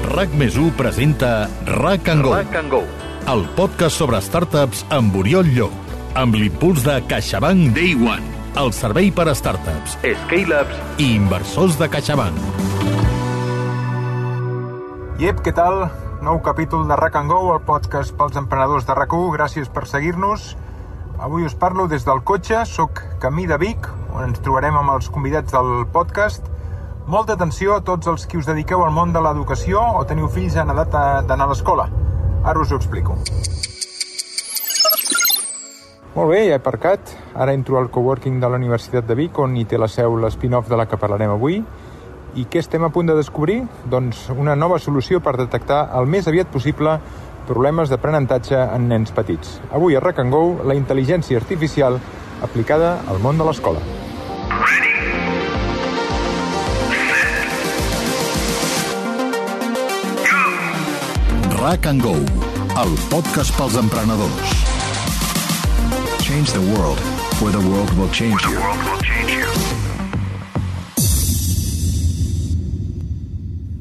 RAC+1 presenta RAC & Go, el podcast sobre startups amb Oriol Llop, amb l'impuls de CaixaBank Day One, el servei per a startups, scale-ups i inversors de CaixaBank. Iep, què tal? Nou capítol de RAC & Go, el podcast pels emprenedors de RAC1. Gràcies per seguir-nos. Avui us parlo des del cotxe, soc camí de Vic, on ens trobarem amb els convidats del podcast. Molta atenció a tots els que us dediqueu al món de l'educació o teniu fills en edat d'anar a l'escola. Ara us ho explico. Molt bé, ja he aparcat. Ara entro al coworking de la Universitat de Vic, on hi té la seu l'spin-off de la que parlarem avui. I què estem a punt de descobrir? Doncs una nova solució per detectar el més aviat possible problemes d'aprenentatge en nens petits. Avui a RAC & Go, la intel·ligència artificial aplicada al món de l'escola. RAC & Go, el podcast pels emprenedors. Change the world, or the world will change you.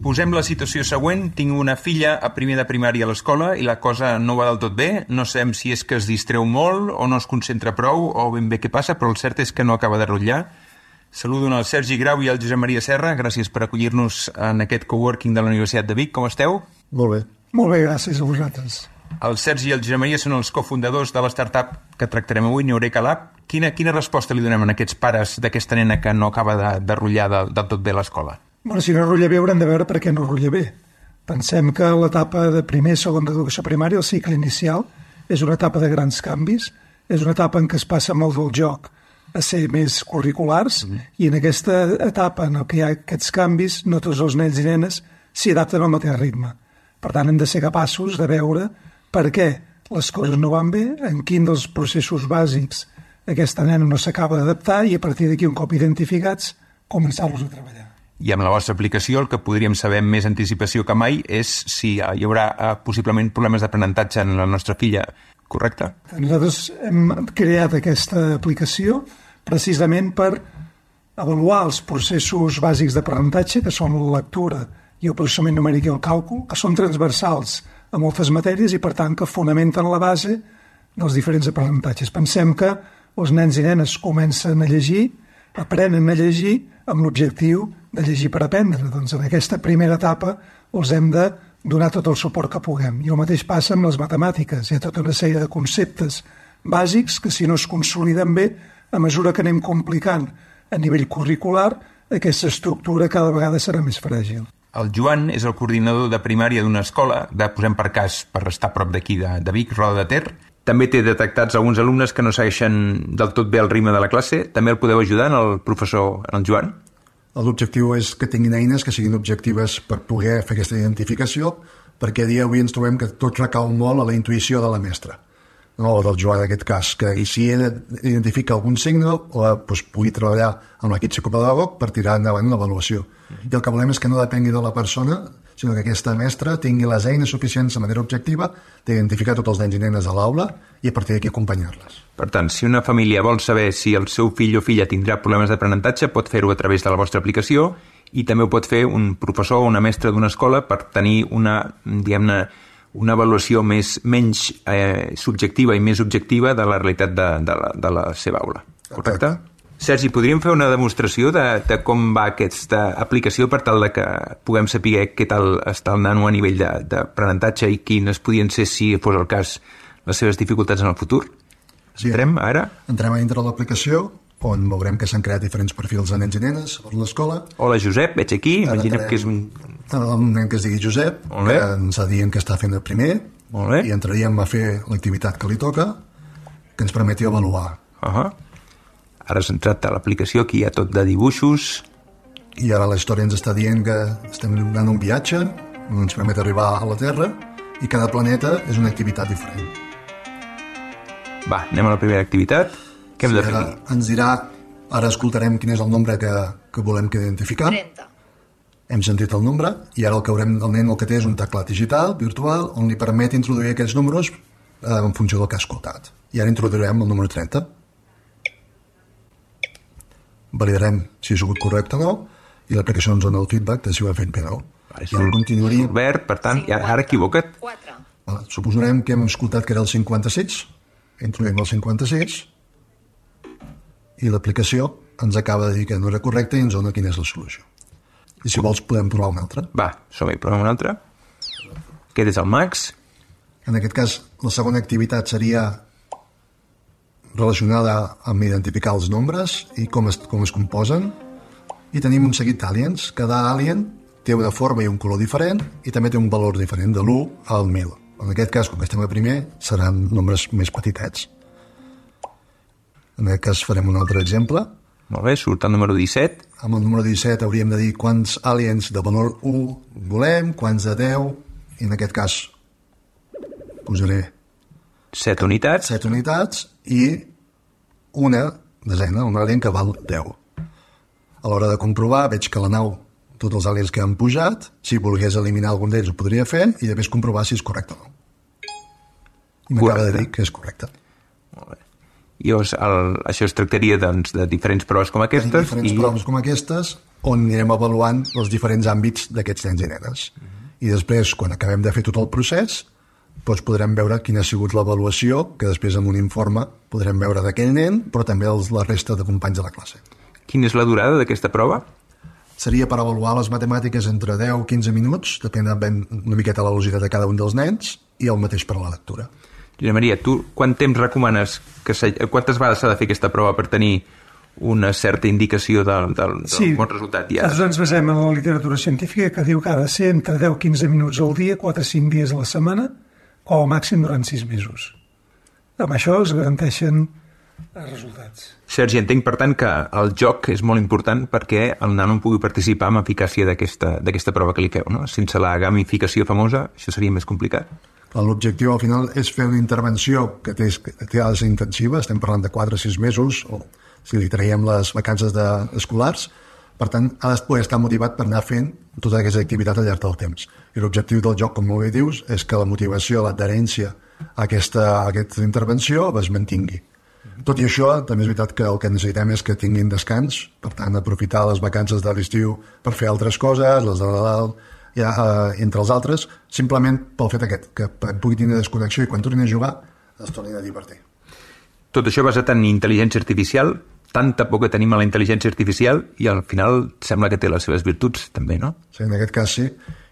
Posem la situació següent. Tinc una filla a primer de primària a l'escola i la cosa no va del tot bé. No sabem si és que es distreu molt o no es concentra prou o ben bé què passa, però el cert és que no acaba de rotllar. Saludo el Sergi Grau i el Josep Maria Serra. Gràcies per acollir-nos en aquest coworking de la Universitat de Vic. Com esteu? Molt bé. Molt bé, gràcies a vosaltres. El Sergi i el Josep Maria són els cofundadors de la startup que tractarem avui, Neureka Lab. Quina resposta li donem a aquests pares d'aquesta nena que no acaba de rotllar del tot bé a l'escola? Bueno, si no rotlla bé haurem de veure per què no rotlla bé. Pensem que l'etapa de primer i segon d'educació primària, el cicle inicial, és una etapa de grans canvis, és una etapa en què es passa molt del joc a ser més curriculars, i en aquesta etapa en què hi ha aquests canvis, no tots els nens i nenes s'hi adapten al mateix ritme. Per tant, hem de ser capaços de veure per què les coses no van bé, en quin dels processos bàsics aquesta nena no s'acaba d'adaptar i a partir d'aquí, un cop identificats, començar-los a treballar. I amb la vostra aplicació el que podríem saber amb més anticipació que mai és si hi haurà possiblement problemes d'aprenentatge en la nostra filla, correcte? Nosaltres hem creat aquesta aplicació precisament per avaluar els processos bàsics d'aprenentatge, que són la lectura i el processament numèric i el càlcul, que són transversals a moltes matèries i, per tant, que fonamenten la base dels diferents aprenentatges. Pensem que els nens i nenes comencen a llegir, aprenen a llegir amb l'objectiu de llegir per aprendre. Doncs en aquesta primera etapa els hem de donar tot el suport que puguem. I el mateix passa amb les matemàtiques. Hi ha tota una sèrie de conceptes bàsics que, si no es consoliden bé, a mesura que anem complicant a nivell curricular, aquesta estructura cada vegada serà més fràgil. El Joan és el coordinador de primària d'una escola, posem per cas, per estar a prop d'aquí de Vic, Roda de Ter. També té detectats alguns alumnes que no segueixen del tot bé el ritme de la classe. També el podeu ajudar, el professor, el Joan? L'objectiu és que tinguin eines que siguin objectives per poder fer aquesta identificació, perquè a dia d'avui ens trobem que tot recau molt a la intuïció de la mestra, no del Joan en aquest cas, que si ell identifica algun signe doncs pugui treballar amb l'equip psicopedagog per tirar endavant una avaluació. I el que volem és que no depengui de la persona, sinó que aquesta mestra tingui les eines suficients de manera objectiva d'identificar tots els nens i nenes a l'aula i a partir d'aquí acompanyar-les. Per tant, si una família vol saber si el seu fill o filla tindrà problemes d'aprenentatge, pot fer-ho a través de la vostra aplicació i també ho pot fer un professor o una mestra d'una escola per tenir una avaluació menys subjectiva i més objectiva de la realitat de la seva aula. Correcte? Sergi, podríem fer una demostració de com va aquesta aplicació per tal de que puguem saber què tal està el nano a nivell d'aprenentatge i quines podien ser, si fos el cas, les seves dificultats en el futur? Sí, entrem ara? Entrem a dintre de l'aplicació, on veurem que s'han creat diferents perfils de nens i nenes a l'escola. Hola, Josep, veig aquí. Imaginem que és un nen que es digui Josep, que ens ha dit que està fent el primer, i entraríem a fer l'activitat que li toca, que ens permeti avaluar. Ara has entrat a l'aplicació, aquí hi ha tot de dibuixos. I ara la història ens està dient que estem donant un viatge, ens permet arribar a la Terra, i cada planeta és una activitat diferent. Va, anem a la primera activitat. Què hem de fer aquí? Ens dirà, ara escoltarem quin és el nombre que volem que identificar. 30. Hem sentit el nombre, i ara el que haurem del nen el que té és un teclat digital, virtual, on li permet introduir aquests números en funció del que ha escoltat. I ara introduirem el número 30. Validarem si ha sigut correcte o no, i l'aplicació ens dona el feedback de si ho ha fet bé o no. És el verd, per tant, ara equivoca't. Suposarem que hem escoltat que era el 56, introduïm el 56, i l'aplicació ens acaba de dir que no era correcte i ens dona quina és la solució. I si vols podem provar una altra. Va, som-hi, provem una altra. Aquest és el Max. En aquest cas, la segona activitat seria relacionada amb identificar els nombres i com es composen. I tenim un seguit d'aliens. Cada alien té una forma i un color diferent i també té un valor diferent de l'1 al 1000. En aquest cas, com que estem a primer, seran nombres més petitets. En aquest cas farem un altre exemple. Molt bé, surt el número 17. Amb el número 17 hauríem de dir quants aliens de valor 1 volem, quants de 10, i en aquest cas posaré 7 unitats. 7 unitats i una desena, un alien que val 10. A l'hora de comprovar veig que la nau, tots els aliens que han pujat, si volgués eliminar algun d'ells ho podria fer i després comprovar si és correcte o no. I m'acaba de dir que és correcte. Molt bé. I això es tractaria doncs, de diferents proves com aquestes. Proves com aquestes on anirem avaluant els diferents àmbits d'aquests nens i nenes. I després, quan acabem de fer tot el procés, doncs podrem veure quina ha sigut l'avaluació, que després amb un informe podrem veure d'aquell nen, però també la resta de companys de la classe. Quina és la durada d'aquesta prova? Seria per avaluar les matemàtiques entre 10 i 15 minuts, depèn una miqueta la velocitat de cada un dels nens, i el mateix per a la lectura. Josep Maria, tu quant temps recomanes, quantes vegades s'ha de fer aquesta prova per tenir una certa indicació del bon resultat? Sí, nosaltres ens basem en la literatura científica que diu que ha de ser entre 10 i 15 minuts al dia, 4 o 5 dies a la setmana, o al màxim durant 6 mesos. Amb això es garanteixen els resultats. Sergi, entenc, per tant, que el joc és molt important perquè el nano pugui participar amb eficàcia d'aquesta prova que li feu, no? Sense la gamificació famosa, això seria més complicat. L'objectiu al final és fer una intervenció que ha de ser intensiva, estem parlant de 4 o 6 mesos, o si li traiem les vacances escolars, per tant ha de poder estar motivat per anar fent tota aquesta activitat al llarg del temps. I l'objectiu del joc, com molt bé dius, és que la motivació, l'adherència a aquesta intervenció es mantingui. Tot i això, també és veritat que el que necessitem és que tinguin descans, per tant aprofitar les vacances de l'estiu per fer altres coses, les de Nadal, entre els altres, simplement pel fet aquest, que pugui tenir desconnexió i quan tornin a jugar es tornin a divertir. Tot això basat en intel·ligència artificial, tanta por que tenim a la intel·ligència artificial i al final sembla que té les seves virtuts també, no? Sí, en aquest cas sí,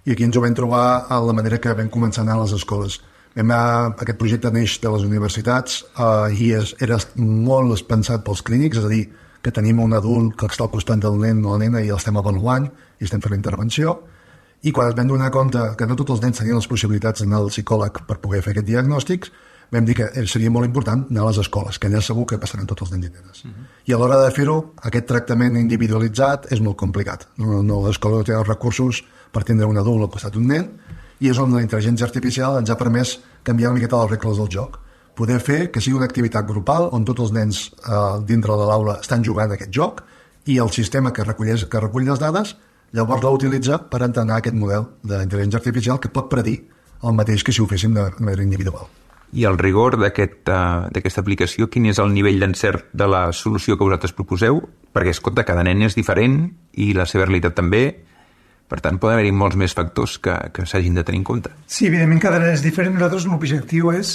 i aquí ens ho vam trobar a la manera que vam començar a anar a les escoles. Aquest projecte neix de les universitats i era molt pensat pels clínics, és a dir, que tenim un adult que està al costat del nen o la nena i l'estem avaluant i estem fent la intervenció. I quan ens vam donar compte que no tots els nens tenien les possibilitats d'anar al psicòleg per poder fer aquest diagnòstic, vam dir que seria molt important anar a les escoles, que allà segur que passaran tots els nens i nenes. I a l'hora de fer-ho, aquest tractament individualitzat és molt complicat. L'escola no té els recursos per tindre un adult al costat d'un nen, i és on la intel·ligència artificial ens ha permès canviar una miqueta les regles del joc. Poder fer que sigui una activitat grupal on tots els nens dintre de l'aula estan jugant aquest joc i el sistema que recull les dades llavors l'utilitza per entrenar aquest model d'intel·ligència artificial que pot predir el mateix que si ho féssim de manera individual. I el rigor d'aquesta aplicació, quin és el nivell d'encert de la solució que vosaltres proposeu? Perquè, escolta, cada nen és diferent i la seva realitat també, per tant, poden haver-hi molts més factors que s'hagin de tenir en compte. Sí, evidentment, cada nen és diferent. Nosaltres l'objectiu és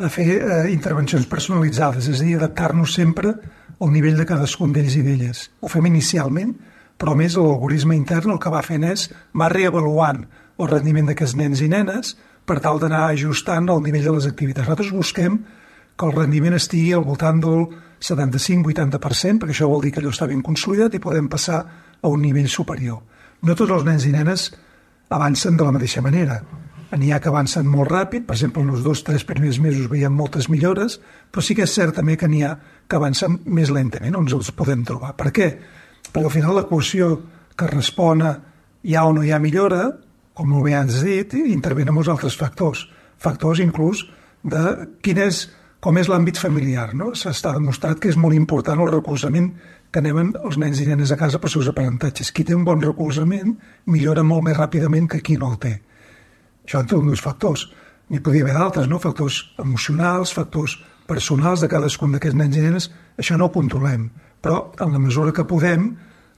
fer intervencions personalitzades, és a dir, adaptar-nos sempre al nivell de cadascun d'ells i d'elles. Ho fem inicialment, però més l'algoritme intern el que va fent és va reavaluant el rendiment d'aquests nens i nenes per tal d'anar ajustant el nivell de les activitats. Nosaltres busquem que el rendiment estigui al voltant del 75-80%, perquè això vol dir que allò està ben consolidat i podem passar a un nivell superior. No tots els nens i nenes avancen de la mateixa manera. N'hi ha que avancen molt ràpid, per exemple, en els 2-3 primers mesos veiem moltes millores, però sí que és cert també que n'hi ha que avancen més lentament, on els podem trobar. Per què? Perquè al final l'equació que respon a hi ha o no hi ha millora, com molt bé has dit, intervenen molts altres factors. Factors inclús de com és l'àmbit familiar. No? S'està demostrat que és molt important el recolzament que anem els nens i nenes a casa per seus aprenentatges. Qui té un bon recolzament millora molt més ràpidament que qui no el té. Això entre uns factors. N'hi podria haver d'altres, no? Factors emocionals, factors personals de cadascun d'aquests nens i nenes. Això no ho controlem. Però en la mesura que podem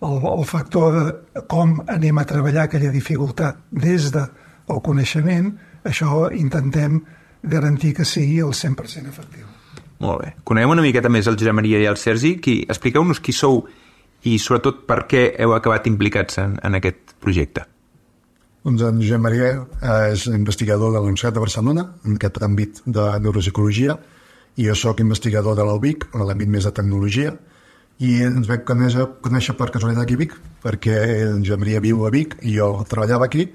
el factor de com anem a treballar aquella dificultat des del coneixement, això intentem garantir que sigui el 100% efectiu. Molt bé. Coneguem una miqueta més el Josep Maria i el Sergi. Expliqueu-nos qui sou i sobretot per què heu acabat implicats en aquest projecte. Doncs en Josep Maria és investigador de la Universitat de Barcelona en aquest àmbit de neuropsicologia i jo sóc investigador de l'UBIC, en l'àmbit més de tecnologia, i ens vam conèixer per casualitat aquí a Vic, perquè en Josep Maria viu a Vic i jo treballava aquí,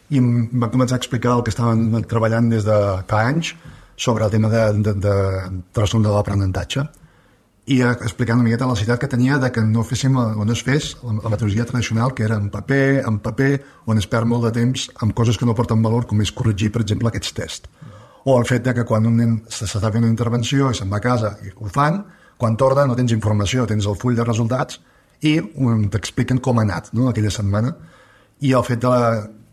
i em va començar a explicar el que estaven treballant des de fa anys sobre el tema de trastorn de l'aprenentatge, i explicant una miqueta la necessitat que tenia de que no féssim o no es fes la metodologia tradicional, que era en paper, on es perd molt de temps amb coses que no porten valor, com és corregir, per exemple, aquests tests. O el fet de que quan un nen s'està fent una intervenció i se'n va a casa i ho fan, quan torna no tens informació, tens el full de resultats i t'expliquen com ha anat, no?, aquella setmana. I el fet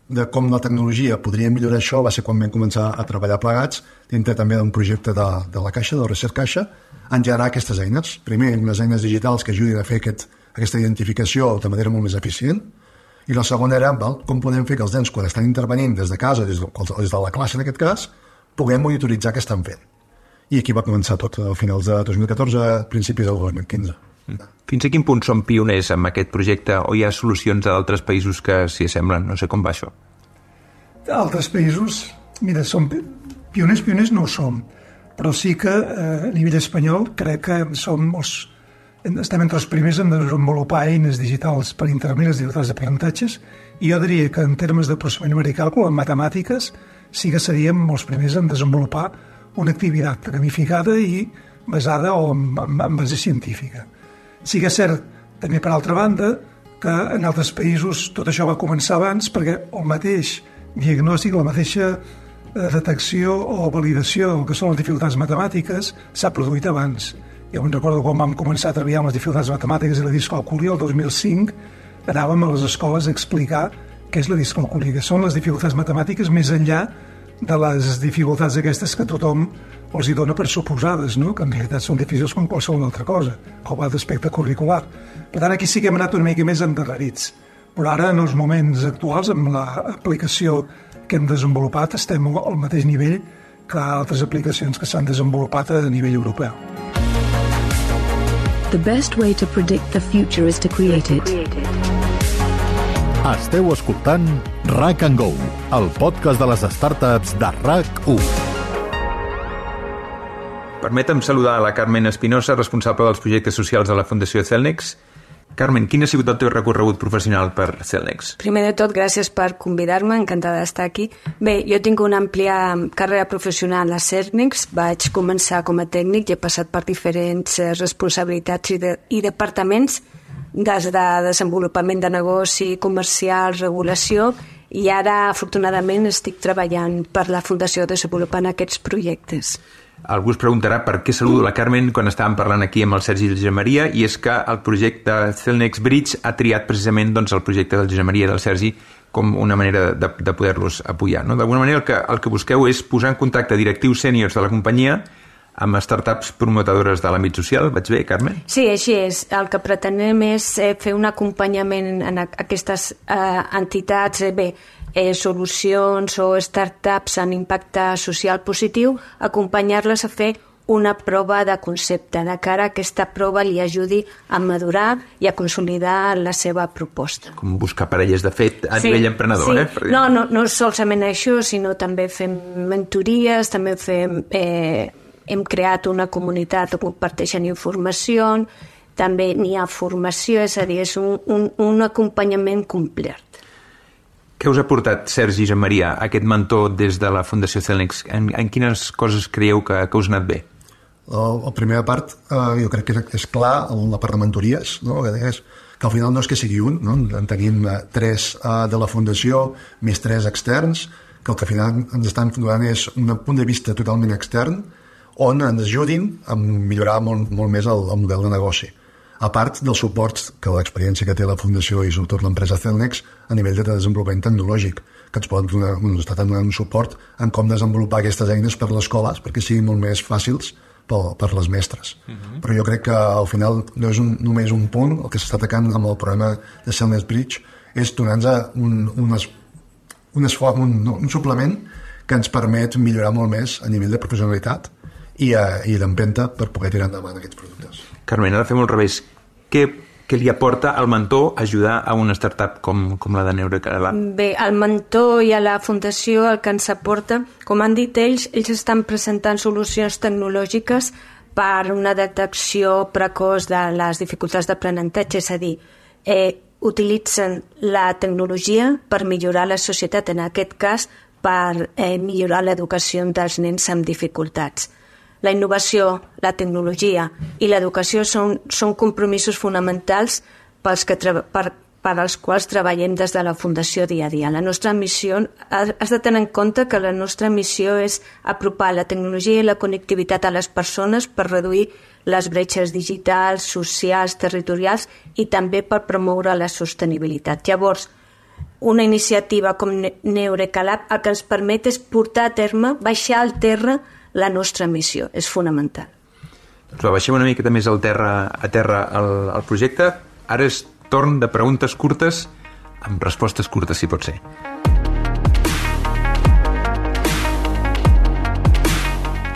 de com la tecnologia podria millorar això va ser quan vam començar a treballar plegats dintre també d'un projecte de la Caixa, del Research Caixa, en generar aquestes eines. Primer, unes eines digitals que ajudin a fer aquesta identificació de manera molt més eficient, i la segona era com podem fer que els nens, quan estan intervenint des de casa, des de la classe en aquest cas, puguem monitoritzar què estan fent. I aquí va començar tot, a finals de 2014, principis del 2015. Fins a quin punt són pioners amb aquest projecte o hi ha solucions a d'altres països que s'hi assemblen? No sé com va això. Altres països, mira, pioners no ho som, però sí que a nivell espanyol crec que estem entre els primers en desenvolupar eines digitals per intervenir les dificultats d'aprenentatges, i jo diria que en termes de processament numèric i càlcul, en matemàtiques, sí que seríem els primers en desenvolupar una activitat gamificada i basada en base científica. Sí que és cert, també per altra banda, que en altres països tot això va començar abans perquè el mateix diagnòstic, la mateixa detecció o validació del que són les dificultats matemàtiques s'ha produït abans. Jo me'n recordo quan vam començar a treballar amb les dificultats matemàtiques i la discalcúlia, el 2005, anàvem a les escoles a explicar què és la discalcúlia, que són les dificultats matemàtiques més enllà de les dificultats aquestes que tothom els hi dona per suposades, no?, que en realitat són difícils com qualsevol altra cosa, com a d'aspecte curricular. Per tant, aquí sí que hem anat una mica més endarrerits. Però ara, en els moments actuals, amb l'aplicació que hem desenvolupat, estem al mateix nivell que altres aplicacions que s'han desenvolupat a nivell europeu. The best way to predict the future is to create it. Esteu escoltant RAC & Go, el podcast de les startups de RAC1. Permetem saludar a la Carmen Espinosa, responsable dels projectes socials de la Fundació Celnex. Carmen, quin ha sigut el teu recorregut professional per Celnex? Primer de tot, gràcies per convidar-me, encantada d'estar aquí. Bé, jo tinc una àmplia carrera professional a Celnex, vaig començar com a tècnic i he passat per diferents responsabilitats i departaments, des de desenvolupament de negoci, comercial, regulació, i ara, afortunadament, estic treballant per la Fundació desenvolupant aquests projectes. Algú es preguntarà per què saludo la Carmen quan estàvem parlant aquí amb el Sergi i el Josep Maria, i és que el projecte Celnex Bridge ha triat precisament el projecte del Josep Maria i del Sergi com una manera de poder-los apoyar, no? D'alguna manera el que busqueu és posar en contacte directius sèniors de la companyia amb startups promotadores de l'àmbit social. Vaig bé, Carmen? Sí, així és. El que pretenem és fer un acompanyament en aquestes entitats, solucions o startups en impacte social positiu, acompanyar-les a fer una prova de concepte, de cara a aquesta prova li ajudi a madurar i a consolidar la seva proposta. Com buscar parelles de fet a nivell emprenedor, sí. No solament això, sinó també fem mentories, també hem creat una comunitat on comparteixen informació, també n'hi ha formació, és a dir, és un acompanyament complet. Què us ha portat, Sergi i Maria, aquest mentor des de la Fundació Celnex? En quines coses creieu que us ha anat bé? La primera part, jo crec que és clar, la part de mentories, no? Que al final no és que sigui un, no? En tenim 3 de la Fundació, més 3 externs, que el que al final ens estan donant és un punt de vista totalment extern, on ens ajudin a millorar molt més el model de negoci. A part del suport que l'experiència que té la Fundació i sobretot l'empresa Celnex a nivell de desenvolupament tecnològic, que ens pot donar un suport en com desenvolupar aquestes eines per les escoles perquè siguin molt més fàcils per les mestres. Però jo crec que al final no és només un punt el que s'està atacant amb el problema de Selness Bridge, és donar-nos un suplement que ens permet millorar molt més a nivell de professionalitat i d'empenta per poder tirar endavant aquests productes. Carmen, ara fem al revés. Què li aporta al mentor ajudar a una startup com la de Neurecalab? Bé, al mentor i a la fundació el que ens aporta, com han dit ells estan presentant solucions tecnològiques per una detecció precoç de les dificultats d'aprenentatge, és a dir, utilitzen la tecnologia per millorar la societat, en aquest cas per millorar l'educació dels nens amb dificultats. La innovació, la tecnologia i l'educació són compromisos fonamentals per als quals treballem des de la Fundació dia a dia. La nostra missió, has de tenir en compte que la nostra missió és apropar la tecnologia i la connectivitat a les persones per reduir les bretxes digitals, socials, territorials i també per promoure la sostenibilitat. Llavors, una iniciativa com Neurecalab el que ens permet és portar a terme, baixar al terra la nostra missió, és fonamental. Doncs baixem una miqueta més a terra el projecte. Ara és torn de preguntes curtes amb respostes curtes, si pot ser.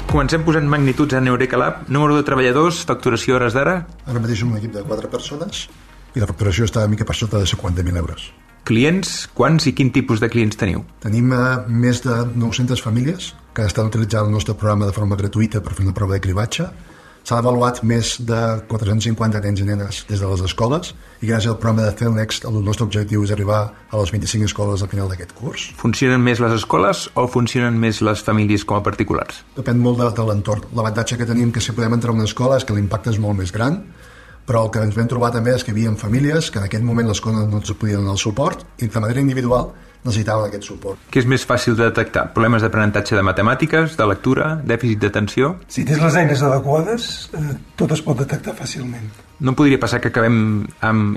Comencem posant magnituds a Neurecalab. Número de treballadors, facturació hores d'ara? Ara mateix som un equip de 4 persones i la facturació està una mica per sota de 50.000 euros. Clients, quants i quin tipus de clients teniu? Tenim més de 900 famílies que estan utilitzant el nostre programa de forma gratuïta per fer una prova de cribatge. S'han avaluat més de 450 nens i nenes des de les escoles i gràcies al programa de Celnext el nostre objectiu és arribar a les 25 escoles al final d'aquest curs. Funcionen més les escoles o funcionen més les famílies com a particulars? Depèn molt de l'entorn. L'avantatge que tenim que si podem entrar a una escola és que l'impacte és molt més gran, però el que ens vam trobar també és que hi havia famílies que en aquell moment l'escola no ens podien donar el suport i de manera individual necessitaven aquest suport. Què és més fàcil de detectar? Problemes d'aprenentatge de matemàtiques, de lectura, dèficit d'atenció? Si tens les eines adequades, tot es pot detectar fàcilment. No podria passar que acabem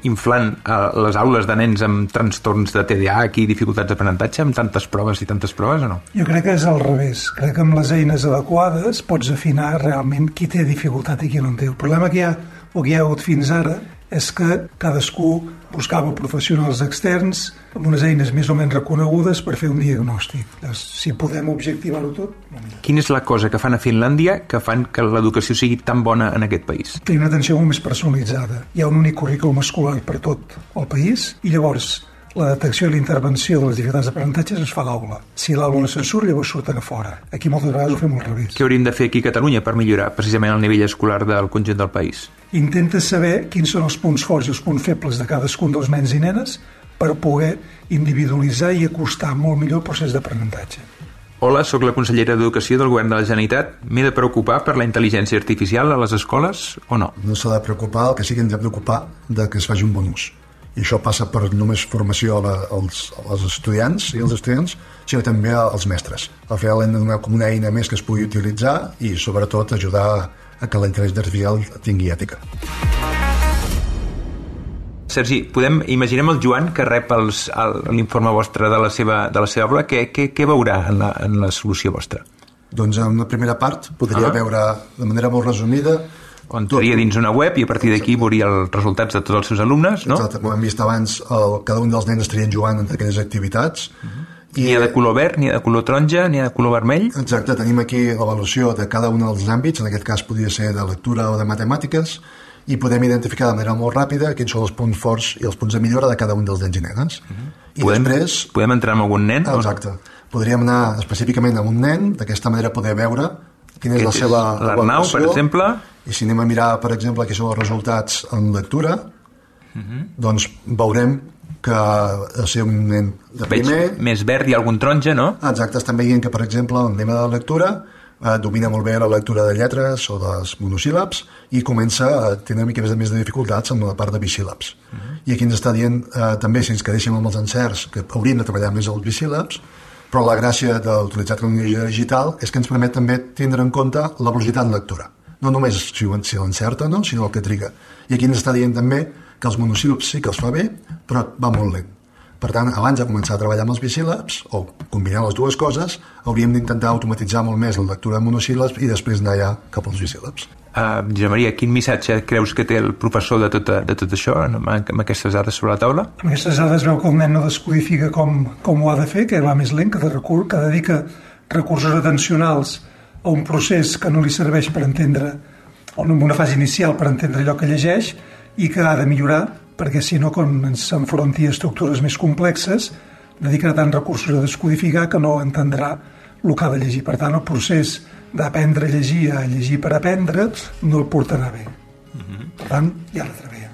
inflant les aules de nens amb trastorns de TDAH i dificultats d'aprenentatge amb tantes proves o no? Jo crec que és al revés. Crec que amb les eines adequades pots afinar realment qui té dificultat i qui no en té. El problema que hi ha hagut fins ara és que cadascú buscava professionals externs amb unes eines més o menys reconegudes per fer un diagnòstic. Si podem objectivar-ho tot... Quina és la cosa que fan a Finlàndia que fan que l'educació sigui tan bona en aquest país? Té una atenció molt més personalitzada. Hi ha un únic currículum escolar per tot el país i llavors la detecció i la intervenció de les dificultats d'aprenentatge es fa a l'aula. Si l'aula no se'n surt, llavors surten a fora. Aquí moltes vegades ho fem al revés. Què hauríem de fer aquí a Catalunya per millorar precisament el nivell escolar del conjunt del país? Intenta saber quins són els punts forts i els punts febles de cadascun dels nens i nenes per poder individualitzar i acostar molt millor el procés d'aprenentatge. Hola, sóc la consellera d'Educació del Govern de la Generalitat. M'he de preocupar per la intel·ligència artificial a les escoles o no? No s'ha de preocupar, el que sí que ens hem d'ocupar de que es faci un bon ús. I això passa per només formació als estudiants i als estudiants, sinó també als mestres. Al final hem de donar com una eina més que es pugui utilitzar i sobretot ajudar a que la intel·ligència artificial tingui ètica. Sergi, imaginem el Joan que rep l'informe vostre de la seva obra. Què veurà en la solució vostra? Doncs en una primera part podria veure de manera molt resumida on entraria dins una web i a partir d'aquí veuria els resultats de tots els seus alumnes, no? Exacte, com hem vist abans, cada un dels nens estarien jugant en aquelles activitats. N'hi ha de color verd, n'hi ha de color taronja, n'hi ha de color vermell? Exacte, tenim aquí l'avaluació de cada un dels àmbits, en aquest cas podria ser de lectura o de matemàtiques, i podem identificar de manera molt ràpida quins són els punts forts i els punts de millora de cada un dels nens i nenes. Podem entrar en algun nen? Exacte. Podríem anar específicament a un nen, d'aquesta manera poder veure quina és la seva l'Arnau, per exemple. I si anem a mirar, per exemple, quins són els resultats en lectura, doncs veurem que ser un nen de primer... Veig més verd i algun taronja, no? Exacte, estan veient que, per exemple, en el tema de la lectura domina molt bé la lectura de lletres o dels monosíl·labs i comença a tenir una mica més de dificultats amb la part de bisíl·labs. I aquí ens està dient també, si ens quedéssim amb els encerts, que hauríem de treballar més els bisíl·labs, però la gràcia d'utilitzar tecnologia digital és que ens permet també tindre en compte la velocitat en lectura. No només si l'encerta, no, sinó el que triga. I aquí ens està dient també que els monosíl·labs sí que els fa bé, però va molt lent. Per tant, abans de començar a treballar amb els bisíl·labs, o combinar les dues coses, hauríem d'intentar automatitzar molt més la lectura de monosíl·labs i després anar ja cap als bisíl·labs. Josep Maria, quin missatge creus que té el professor de tot això, amb aquestes dades sobre la taula? Amb aquestes dades veu que el nen no descodifica com ho ha de fer, que va més lent, que dedica recursos atencionals a un procés que no li serveix per entendre, o en una fase inicial per entendre allò que llegeix, i que ha de millorar, perquè si no, quan ens s'enfronti a estructures més complexes, dedicarà tants recursos a descodificar que no entendrà el que ha de llegir. Per tant, el procés d'aprendre a llegir per aprendre, no el portarà bé. Per tant, ja la treballa.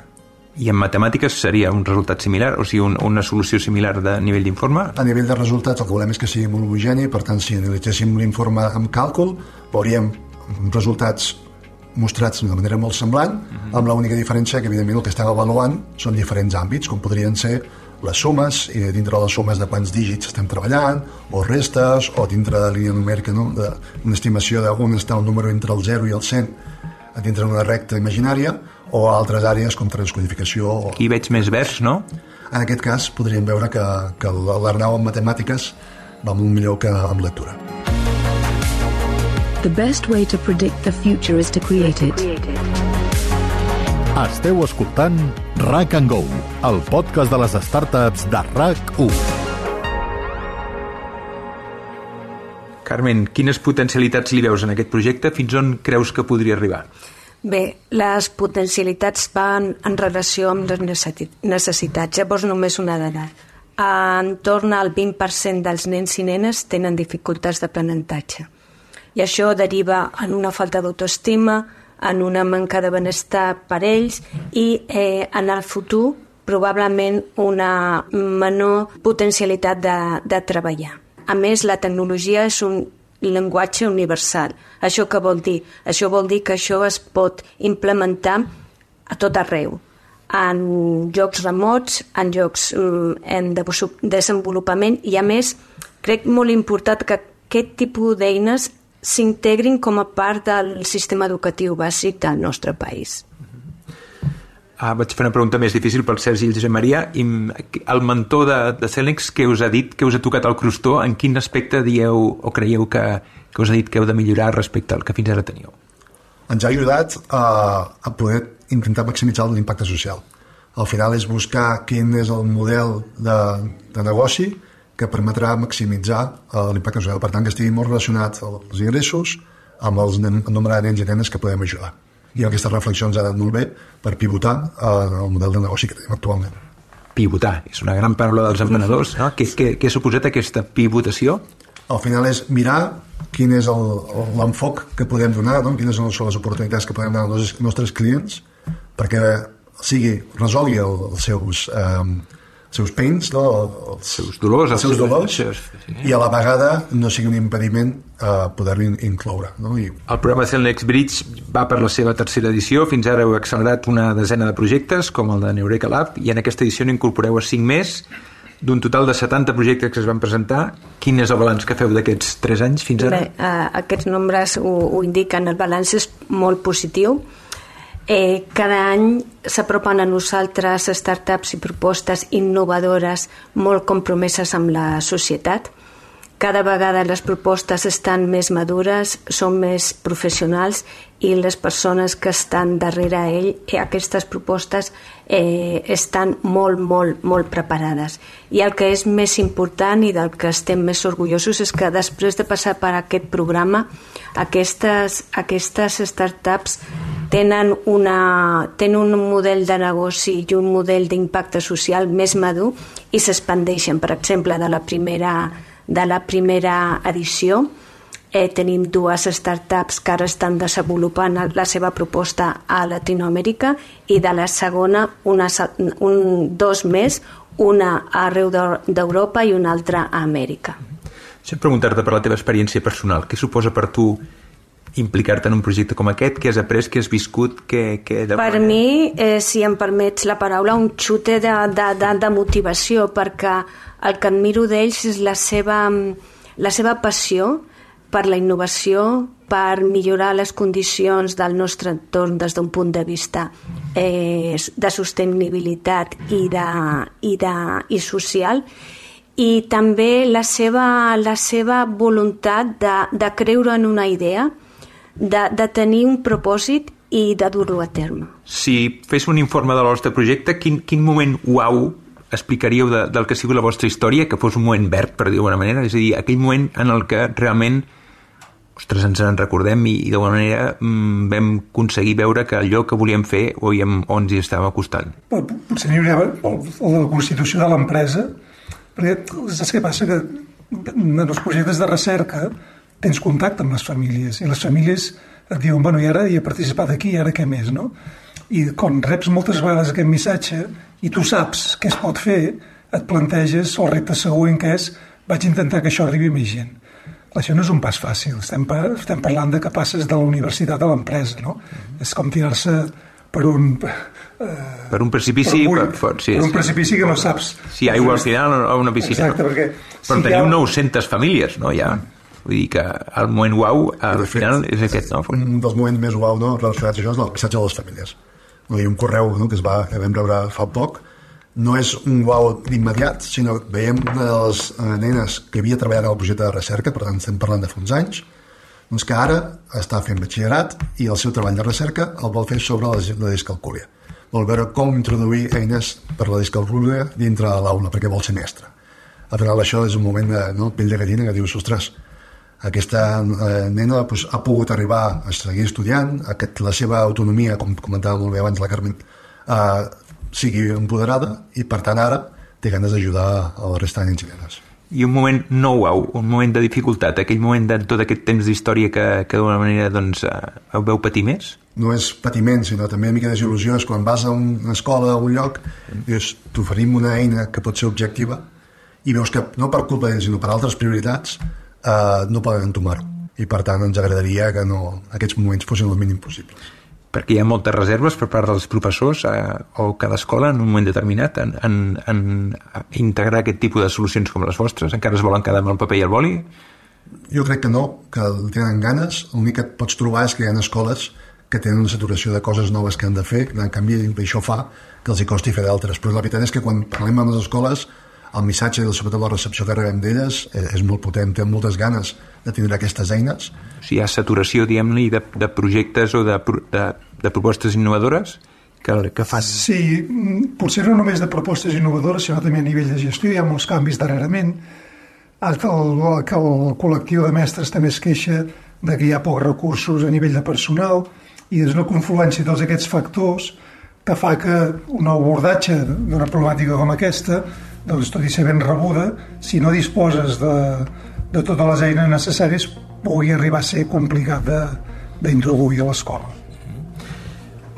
I en matemàtiques seria un resultat similar? O sigui, una solució similar de nivell d'informe? A nivell de resultats, el que volem és que sigui molt homogeni, per tant, si analitzéssim l'informe amb càlcul, veuríem resultats mostrats de manera molt semblant, amb l'única diferència que, evidentment, el que estem avaluant són diferents àmbits, com podrien ser les sumes, i dintre les sumes de quants dígits estem treballant, o restes, o dintre de la línia numèrica, no? Una estimació d'on està el número entre el 0 i el 100 dintre d'una recta imaginària, o altres àrees com transcodificació. Aquí veig més vers, no? En aquest cas podríem veure que l'Arnau en matemàtiques va molt millor que en lectura. The best way to predict the future is to create it. Esteu escoltant RAC & Go, el podcast de les startups de RAC1. Carmen, quines potencialitats li veus en aquest projecte? Fins on creus que podria arribar? Bé, les potencialitats van en relació amb les necessitats. Llavors, només una dada. Entorn al 20% dels nens i nenes tenen dificultats d'aprenentatge. I això deriva en una falta d'autoestima, en una manca de benestar per ells i en el futur probablement una menor potencialitat de treballar. A més, la tecnologia és un llenguatge universal. Això què vol dir? Això vol dir que això es pot implementar a tot arreu, en llocs remots, en llocs en desenvolupament, i a més, crec molt important que aquest tipus d'eines s'integrin com a part del sistema educatiu bàsic del nostre país. Vaig fer una pregunta més difícil pel Sergi i el Josep Maria. El mentor de Cellnex, què us ha dit, què us ha tocat el crostó? En quin aspecte dieu o creieu que us ha dit que heu de millorar respecte al que fins ara teníeu? Ens ha ajudat a poder intentar maximitzar l'impacte social. Al final és buscar quin és el model de negoci que permetrà maximitzar l'impacte social. Per tant, que estigui molt relacionat els ingressos amb el nombre de nens i nenes que podem ajudar. I aquesta reflexió ens ha anat molt bé per pivotar el model de negoci que tenim actualment. Pivotar, és una gran paraula dels emprenedors, no? Què ha suposat aquesta pivotació? Al final és mirar quin és l'enfoc que podem donar, no? Quines són les oportunitats que podem donar als nostres clients perquè resolgui els seus pains, no? Els seus dolors, i a la vegada no sigui un impediment poder-lo incloure, no? El programa Cellnex Bridge va per la seva tercera edició. Fins ara heu accelerat una desena de projectes, com el de Neureka Lab, i en aquesta edició n'incorporeu a 5 més, d'un total de 70 projectes que es van presentar. Quin és el balanç que feu d'aquests 3 anys fins ara? Bé, aquests nombres ho indiquen, el balanç és molt positiu. Cada any s'apropen a nosaltres startups i propostes innovadores molt compromeses amb la societat. Cada vegada les propostes estan més madures, són més professionals i les persones que estan darrere aquestes propostes estan molt, molt, molt preparades. I el que és més important i del que estem més orgullosos és que després de passar per aquest programa, aquestes startups tenen un model de negoci i un model d'impacte social més madur i s'expandeixen. Per exemple, de la primera edició tenim 2 startups que ara estan desenvolupant la seva proposta a Latinoamèrica i de la segona 2 més, una arreu d'Europa i una altra a Amèrica. Deixa'm preguntar-te per la teva experiència personal. Què suposa per tu implicar-te en un projecte com aquest? Què has après, què has viscut? Per mi, si em permets la paraula, un xute de motivació, perquè el que admiro d'ells és la seva passió per la innovació, per millorar les condicions del nostre entorn des d'un punt de vista de sostenibilitat i social, i també la seva voluntat de creure en una idea, de tenir un propòsit i de dur-lo a terme. Si fes un informe del vostre projecte, quin moment uau explicaríeu del que ha sigut la vostra història, que fos un moment verd, per dir d'alguna manera? És a dir, aquell moment en el que realment ens en recordem i d'alguna manera vam aconseguir veure que allò que volíem fer o ens hi estava costant. Potser n'hi hauria la constitució de l'empresa, perquè saps què passa? Que en els projectes de recerca tens contacte amb les famílies, i les famílies et diuen, bueno, i ara hi he participat aquí, i ara què més, no? I quan reps moltes vegades aquest missatge i tu saps què es pot fer, et planteges el repte següent, que és vaig intentar que això arribi a més gent. Això no és un pas fàcil, estem parlant de que passes de la universitat a l'empresa, no? És com tirar-se per un precipici, per un precipici que no saps si aigua al final o una piscina. Exacte, perquè però teniu 900 famílies, no? Ja. Vull dir que el moment uau al final és aquest, no? Un dels moments més uau, no, relacionats a això és el missatge de les famílies. Hi ha un correu, no, que vam rebre fa poc. No és un uau d'immediat, sinó que veiem una de les nenes que havia treballat en el projecte de recerca, per tant estem parlant de fa uns anys, doncs que ara està fent batxillerat i el seu treball de recerca el vol fer sobre la discalcúlia. Vol veure com introduir eines per la discalcúlia dintre de l'aula, perquè vol ser mestre. Al final això és un moment de pell de gallina que dius, ostres, aquesta nena ha pogut arribar a seguir estudiant, que la seva autonomia, com comentava molt bé abans la Carmen, sigui empoderada i per tant ara té ganes d'ajudar a la resta de nens i nenes. I un moment no uau, un moment de dificultat, aquell moment de tot aquest temps d'història que d'alguna manera doncs, veu patir més? No és patiment, sinó també una mica de desil·lusió. És quan vas a una escola, a un lloc, dius, t'oferim una eina que pot ser objectiva i veus que no per culpa d'ells, sinó per altres prioritats no poden entomar-ho. I per tant ens agradaria que aquests moments fossin el mínim possibles. Perquè hi ha moltes reserves per part dels professors o cada escola en un moment determinat en integrar aquest tipus de solucions com les vostres. Encara es volen quedar amb el paper i el boli? Jo crec que no, que tenen ganes. L'únic que et pots trobar és que hi ha escoles que tenen una saturació de coses noves que han de fer, en canvi això fa que els hi costi fer d'altres. Però la veritat és que quan parlem amb les escoles, el missatge i sobretot la recepció que rebem d'elles és molt potent, tenen moltes ganes de tindre aquestes eines. O sigui, hi ha saturació, diguem-ne, de projectes o de propostes innovadores que fan... Sí, potser no només de propostes innovadores, sinó també a nivell de gestió. Hi ha molts canvis darrerament. Que el col·lectiu de mestres també es queixa de que hi ha pocs recursos a nivell de personal i és una confluència de tots aquests factors que fa que un abordatge d'una problemàtica com aquesta, doncs, tot i ser ben rebuda, si no disposes de totes les eines necessàries, pugui arribar a ser complicat d'introduir a l'escola.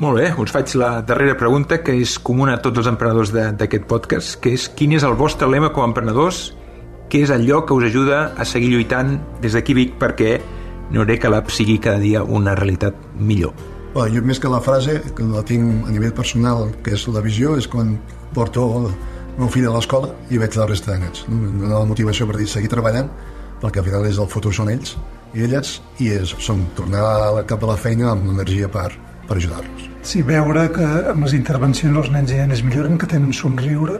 Molt bé, us faig la darrera pregunta, que és comuna a tots els emprenedors d'aquest podcast, que és: quin és el vostre lema com a emprenedors? Què és allò que us ajuda a seguir lluitant des d'aquí Vic perquè Neureka Lab sigui cada dia una realitat millor? Jo més que la frase, que la tinc a nivell personal, que és la visió, és quan porto el meu fill a l'escola i veig la resta de nens. La motivació per dir seguir treballant, perquè al final el futur són ells i elles, i són tornar cap a la feina amb l'energia per ajudar-los. Sí, veure que amb les intervencions els nens i nenes milloren, que tenen somriure,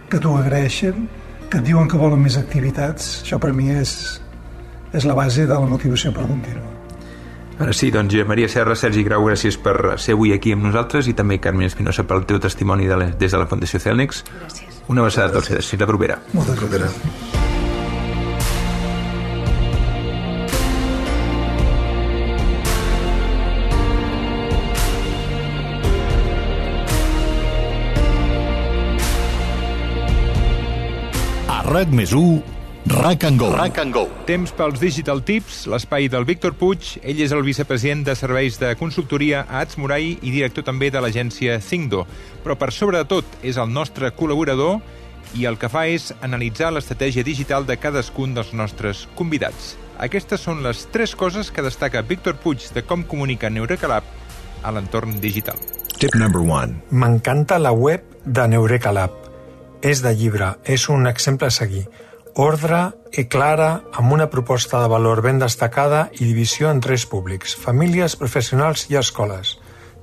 que t'ho agraeixen, que et diuen que volen més activitats, això per mi és la base de la motivació per continuar. Ara sí, doncs Maria Serra, Sergi Grau, gràcies per ser avui aquí amb nosaltres, i també Carmen Espinosa pel teu testimoni des de la Fundació Celnex. Gràcies. Una abraçada a tots, fins la propera. Moltes gràcies. A RAC+1, RAC and Go. Temps pels Digital Tips, l'espai del Víctor Puig. Ell és el vicepresident de serveis de consultoria a Atsmurai i director també de l'agència Thinkdo. Però per sobre de tot és el nostre col·laborador i el que fa és analitzar l'estratègia digital de cadascun dels nostres convidats. Aquestes són les 3 coses que destaca Víctor Puig de com comunica Neureka Lab a l'entorn digital. Tip number 1. M'encanta la web de Neureka Lab. És de llibre, és un exemple a seguir. Ordre i clara, amb una proposta de valor ben destacada i divisió en 3 públics: famílies, professionals i escoles.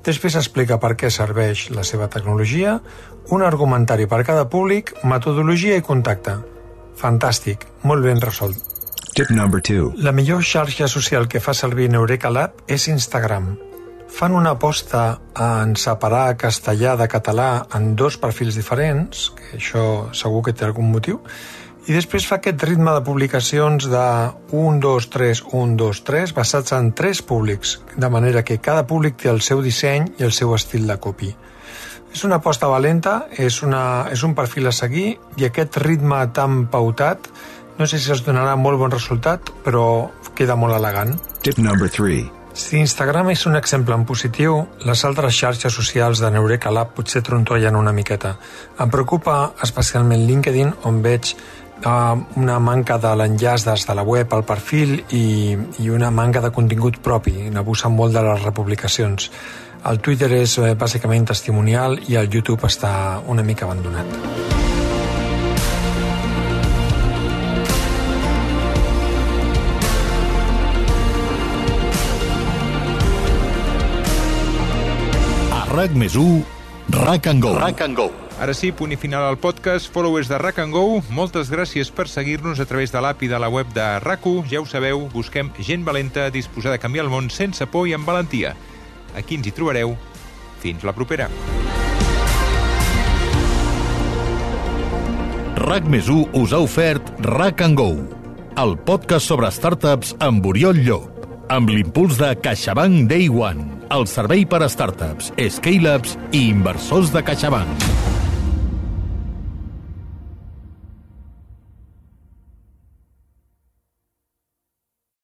Després explica per què serveix la seva tecnologia, un argumentari per cada públic, metodologia i contacte. Fantàstic, molt ben resolt. Tip number 2. La millor xarxa social que fa servir Neureka Lab és Instagram. Fan una aposta en separar castellà de català en 2 perfils diferents, que això segur que té algun motiu, i després fa aquest ritme de publicacions de 1, 2, 3, 1, 2, 3, basats en 3 públics, de manera que cada públic té el seu disseny i el seu estil de copy. És una aposta valenta, és un perfil a seguir, i aquest ritme tan pautat no sé si es donarà molt bon resultat, però queda molt elegant. Tip number 3. Si Instagram és un exemple en positiu, les altres xarxes socials de Neureka Lab potser trontollen una miqueta. Em preocupa especialment LinkedIn, on veig una manca de l'enllaç des de la web al perfil i una manca de contingut propi, n'abusen molt de les republicacions. El Twitter és bàsicament testimonial i el YouTube està una mica abandonat. RAC+1, Rack and Go. Ara sí, punt i final al podcast. Followers de Rack and Go, moltes gràcies per seguir-nos a través de l'app i de la web de RAC1. Ja ho sabeu, busquem gent valenta disposada a canviar el món sense por i amb valentia. Aquí ens hi trobareu. Fins la propera. RAC+1 us ha ofert Rack and Go, el podcast sobre startups amb Oriol Llop, amb l'impuls de CaixaBank Day One, el servei per a startups, scale-ups i inversors de CaixaBank.